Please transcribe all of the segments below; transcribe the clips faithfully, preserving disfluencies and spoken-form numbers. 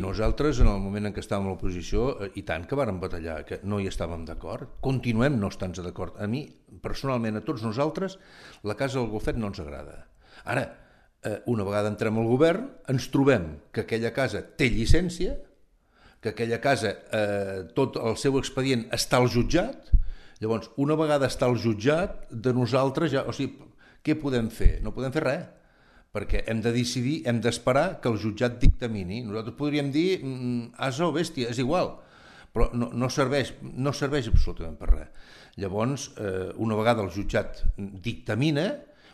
nosaltres en el moment en què estàvem a l'oposició, i tant que vàrem batallar, que no hi estàvem d'acord, continuem no estant d'acord. A mi, personalment, a tots nosaltres, la casa del Golfet no ens agrada. Ara, una vegada entrem al govern, ens trobem que aquella casa té llicència, que aquella casa, eh, tot el seu expedient està al jutjat. Llavors, una vegada està al jutjat, de nosaltres ja... O sigui, què podem fer? No podem fer res, perquè hem de decidir, hem d'esperar que el jutjat dictamini. Nosaltres podríem dir asa o bèstia, és igual, però no, no, serveix, no serveix absolutament per res. Llavors, eh, una vegada el jutjat dictamina,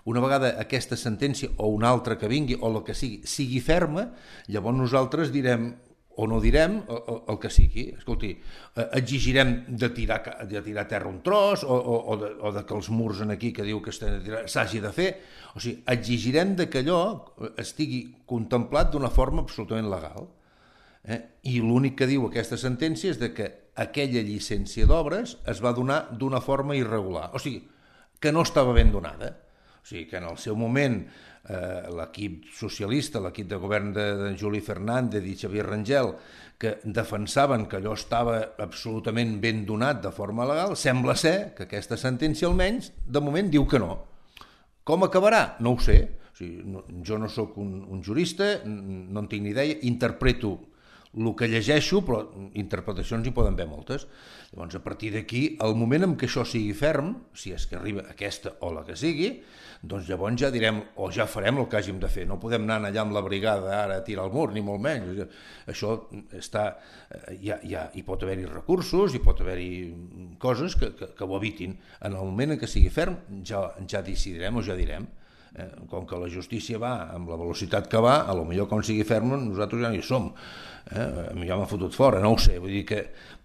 una vegada aquesta sentència o una altra que vingui, o el que sigui, sigui ferma, llavors nosaltres direm o no direm el, el que sigui. Escolti, exigirem de tirar, de tirar terra un tros o, o, o, de, o de que els murs en aquí que diu que s'hagi de fer. O sigui, exigirem de que allò estigui contemplat d'una forma absolutament legal. Eh? I l'únic que diu aquesta sentència és de que aquella llicència d'obres es va donar d'una forma irregular. O sigui, que no estava ben donada. O sigui, que en el seu moment eh, l'equip socialista, l'equip de govern de, de Juli Fernández i Xavier Rangel, que defensaven que allò estava absolutament ben donat de forma legal, sembla ser que aquesta sentència almenys, de moment, diu que no. Com acabarà? No ho sé. O sigui, no, jo no sóc un, un jurista, no en tinc ni idea, interpreto el que llegeixo, però interpretacions hi poden haver moltes. Llavors, a partir d'aquí, el moment en què això sigui ferm, si és que arriba aquesta o la que sigui, doncs llavors ja direm, o ja farem el que hàgim de fer. No podem anar allà amb la brigada ara a tirar el mur, ni molt menys. Això està... Ja, ja, hi pot haver-hi recursos, hi pot haver-hi coses que, que, que ho evitin. En el moment en què sigui ferm, ja, ja decidirem o ja direm. Eh, com que la justícia va amb la velocitat que va, a lo millor quan sigui ferm nosaltres ja no hi som, eh? Ja m'ha fotut fora, no ho sé, vull dir que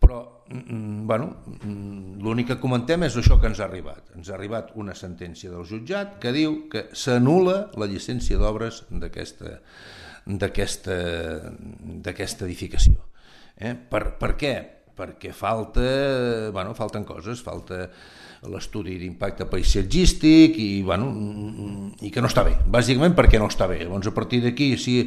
però, mm, bueno, mm, l'únic que comentem és això que ens ha arribat ens ha arribat una sentència del jutjat que diu que s'anul·la la llicència d'obres d'aquesta d'aquesta d'aquesta edificació. Eh? Per, per què? Perquè falta, bueno, falten coses, falta l'estudi d'impacte paisatgístic i, bueno, i que no està bé, bàsicament perquè no està bé. Llavors, a partir d'aquí, si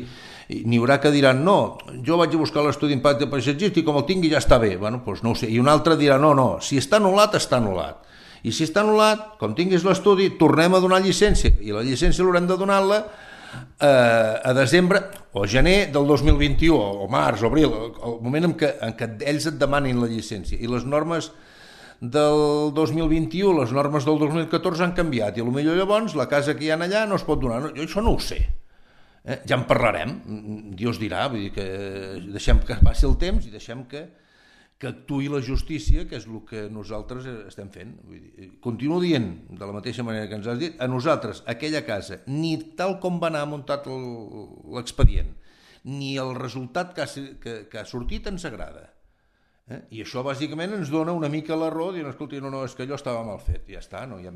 n'hi haurà que diran no, jo vaig a buscar l'estudi d'impacte paisatgístic, com el tingui ja està bé, bueno, doncs no ho sé. I un altre dirà no, no, si està anul·lat, està anul·lat. I si està anul·lat, com tinguis l'estudi, tornem a donar llicència, i la llicència l'haurem de donar-la a desembre o gener del dos mil vint-i-u, o març, o abril, el moment en què, en què ells et demanin la llicència. I les normes del dos mil vint-i-u, les normes del dos mil catorze han canviat, i potser llavors la casa que hi ha allà no es pot donar. Jo això no ho sé. Eh? Ja en parlarem, Dios dirà, vull dir que deixem que passi el temps i deixem que, que actuï la justícia, que és el que nosaltres estem fent. Vull dir, continuo dient, de la mateixa manera que ens has dit, a nosaltres aquella casa, ni tal com va anar muntat l'expedient, ni el resultat que ha, que, que ha sortit ens agrada. Eh? I això bàsicament ens dona una mica la raó, dient, escolti, no, no, és que allò estava mal fet, ja està, no hi ha més.